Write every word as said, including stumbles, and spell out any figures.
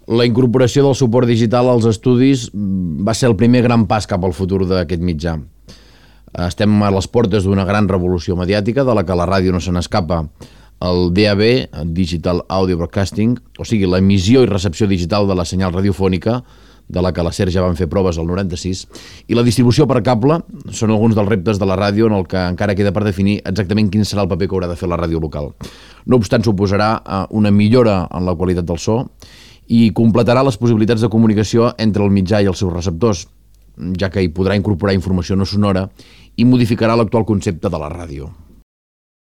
La incorporació del suport digital als estudis va ser el primer gran pas cap al futur d'aquest mitjà. Estem a les portes d'una gran revolució mediàtica de la que la ràdio no se n'escapa. El D A B, Digital Audio Broadcasting, o sigui, l'emissió i recepció digital de la senyal radiofònica, de la que la SER ja van fer proves al noranta-sis, i la distribució per cable són alguns dels reptes de la ràdio en el que encara queda per definir exactament quin serà el paper que haurà de fer la ràdio local. No obstant, suposarà una millora en la qualitat del so i completarà les possibilitats de comunicació entre el mitjà i els seus receptors, ja que hi podrà incorporar informació no sonora i modificarà l'actual concepte de la ràdio.